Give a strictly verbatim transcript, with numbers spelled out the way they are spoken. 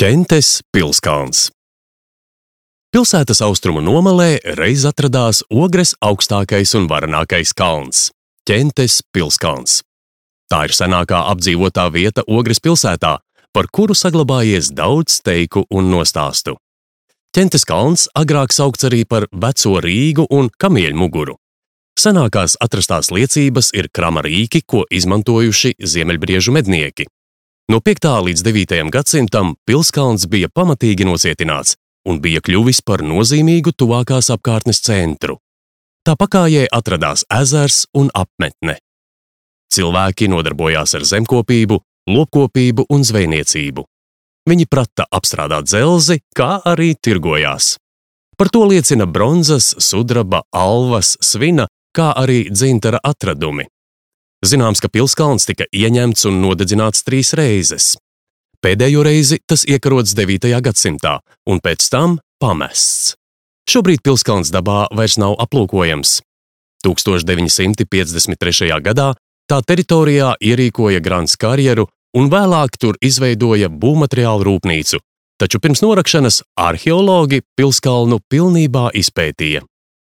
Ķentes pilskalns. Pilsētas austrumu nomalē reiz atradās Ogres augstākais un varenākais kalns – Ķentes pilskalns. Tā ir senākā apdzīvotā vieta Ogres pilsētā, par kuru saglabājies daudz teiku un nostāstu. Ķentes kalns agrāk saukts arī par Veco Rīgu un Kamieļmuguru. Senākās atrastās liecības ir krama rīki, ko izmantojuši ziemeļbriežu mednieki. No piektā līdz devītajam gadsimtam pilskalns bija pamatīgi nocietināts un bija kļuvis par nozīmīgu tuvākās apkārtnes centru. Tā pakājē atradās ezers un apmetne. Cilvēki nodarbojās ar zemkopību, lopkopību un zvejniecību. Viņi prata apstrādāt dzelzi, kā arī tirgojās. Par to liecina bronzas, sudraba, alvas, svina, kā arī dzintara atradumi. Zināms, ka pilskalns tika ieņemts un nodedzināts trīs reizes. Pēdējo reizi tas iekarots devītajā gadsimtā un pēc tam pamests. Šobrīd pilskalns dabā vairs nav aplūkojams. tūkstoš deviņi simti piecdesmit trešajā gadā tā teritorijā ierīkoja Grands karjeru un vēlāk tur izveidoja būvmateriālu rūpnīcu, taču pirms norakšanas arheologi pilskalnu pilnībā izpētīja.